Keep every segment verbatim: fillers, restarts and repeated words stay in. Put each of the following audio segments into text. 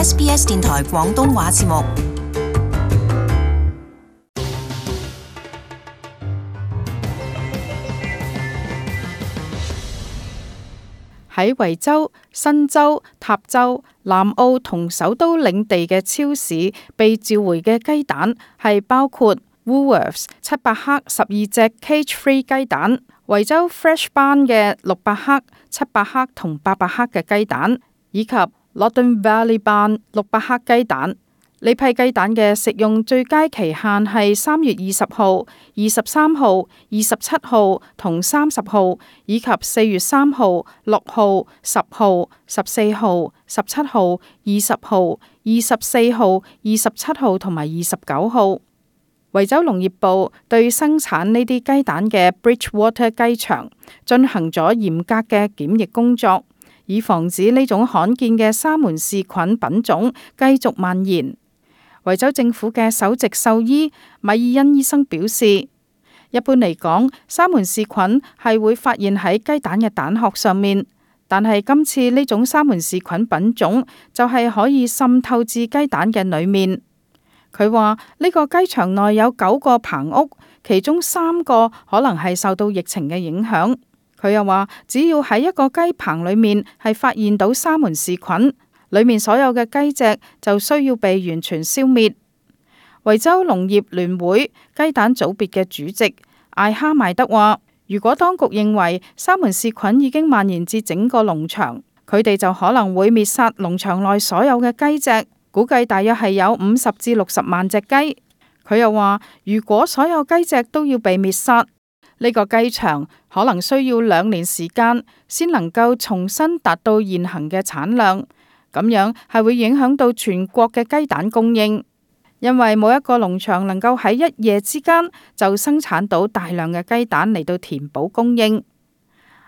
S B S 電台廣東話節目。喺維州、新州、塔州、南澳同首都領地嘅超市被召回嘅雞蛋係包括 Woolworths 七百克十二隻 cage-free 雞蛋，維州 Fresh Barn 嘅六百克、七百克同八百克嘅雞蛋，以及 Loddon Valley Barn 六百克雞蛋。呢批雞蛋嘅食用最佳期限係三月二十號、二十三號、二十七號同三十號，以及四月三號、六號、十號、十四號、十七號、二十號、二十四號、二十七號同埋二十九號。維州農業部對生產呢啲雞蛋嘅 Bridgewater 雞場進行咗嚴格嘅檢疫工作，以防止呢種罕見嘅沙門氏菌品種繼續蔓延。維州政府嘅首席獸醫米爾恩醫生表示，一般嚟講，沙門氏菌係會發現喺雞蛋嘅蛋殼上面，但係今次呢種沙門氏菌品種就係可以滲透至雞蛋嘅裏面。佢話呢個雞場內有九個棚屋，其中三個可能係受到疫情嘅影響。佢又話，只要喺一個雞棚裏面係發現到沙門氏菌，裏面所有嘅雞隻就需要被完全消滅。維州農業聯會雞蛋組別嘅主席艾哈邁德話，如果當局認為沙門氏菌已經蔓延至整個農場，佢哋就可能會滅殺農場內所有嘅雞隻，估計大約係有五十至六十萬隻雞。佢又話，如果所有雞隻都要被滅殺，呢個雞場可能需要兩年時間先能夠重新達到現行嘅產量。咁樣係會影響到全國嘅雞蛋供應，因為冇一個農場能夠喺一夜之間就生產到大量嘅雞蛋嚟到填補供應。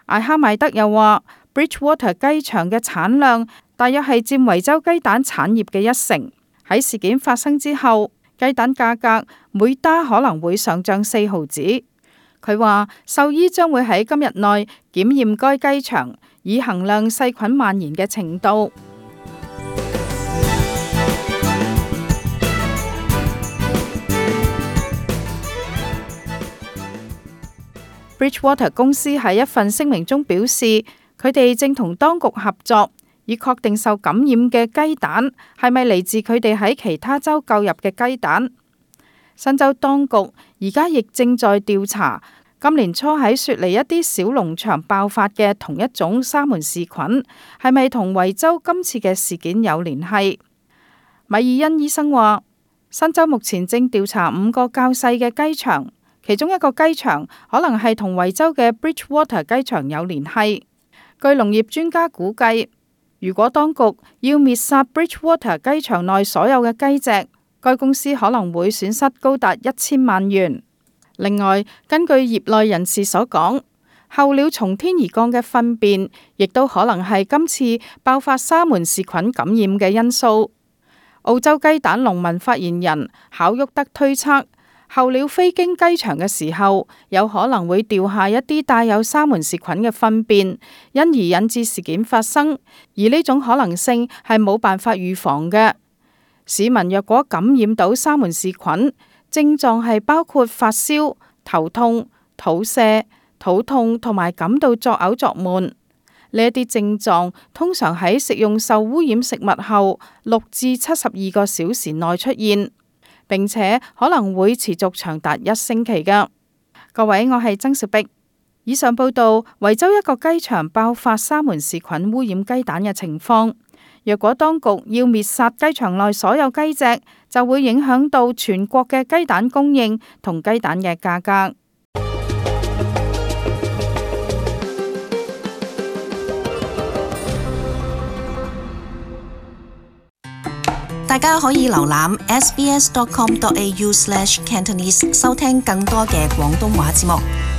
艾哈邁德又話 Bridgewater 雞場嘅產量大約係佔維州雞蛋產業嘅一成。喺事件發生之後，雞蛋價格每打可能會上漲四毫子。佢話獸醫將會喺今日內檢驗該雞場，以衡量細菌蔓延嘅程度。Bridgewater 公司喺一份聲明中表示，佢哋正同當局合作，以確定受感染嘅雞蛋係咪嚟自佢哋喺其他州購入嘅雞蛋。新州當局而家亦正在調查今年初喺雪梨一啲小農場爆發嘅同一種沙門氏菌係咪同維州今次嘅事件有聯繫。米爾恩醫生話，新州目前正調查五個較細嘅雞場，其中一個雞場可能係同維州嘅 Bridgewater 雞場有聯繫。據農業專家估計，如果當局要滅殺 Bridgewater 雞場內所有嘅雞隻，該公司可能會損失高達一千萬元。另外，根據業內人士所講，候鳥從天而降嘅糞便亦都可能係今次爆發沙門氏菌感染嘅因素。澳洲雞蛋農民發言人考沃德推測，候鳥飛經雞場嘅時候，有可能會掉下一啲帶有沙門氏菌嘅糞便，因而引致事件發生。而呢種可能性係冇辦法預防嘅。市民若果感染到沙門氏菌，症狀係包括發燒、頭痛、肚瀉、肚痛同埋感到作嘔作悶。呢一啲症狀通常喺食用受污染食物後六至七十二個小時內出現，並且可能會持續長達一星期㗎。各位，我係曾小碧。以上報道維州一個雞場爆發沙門氏菌污染雞蛋嘅情況。若果當局要滅殺雞場內所有雞隻，就會影響到全國嘅雞蛋供應同雞蛋嘅價格。大家可以瀏覽 s b s dot com dot a u slash cantonese 收聽更多嘅廣東話節目。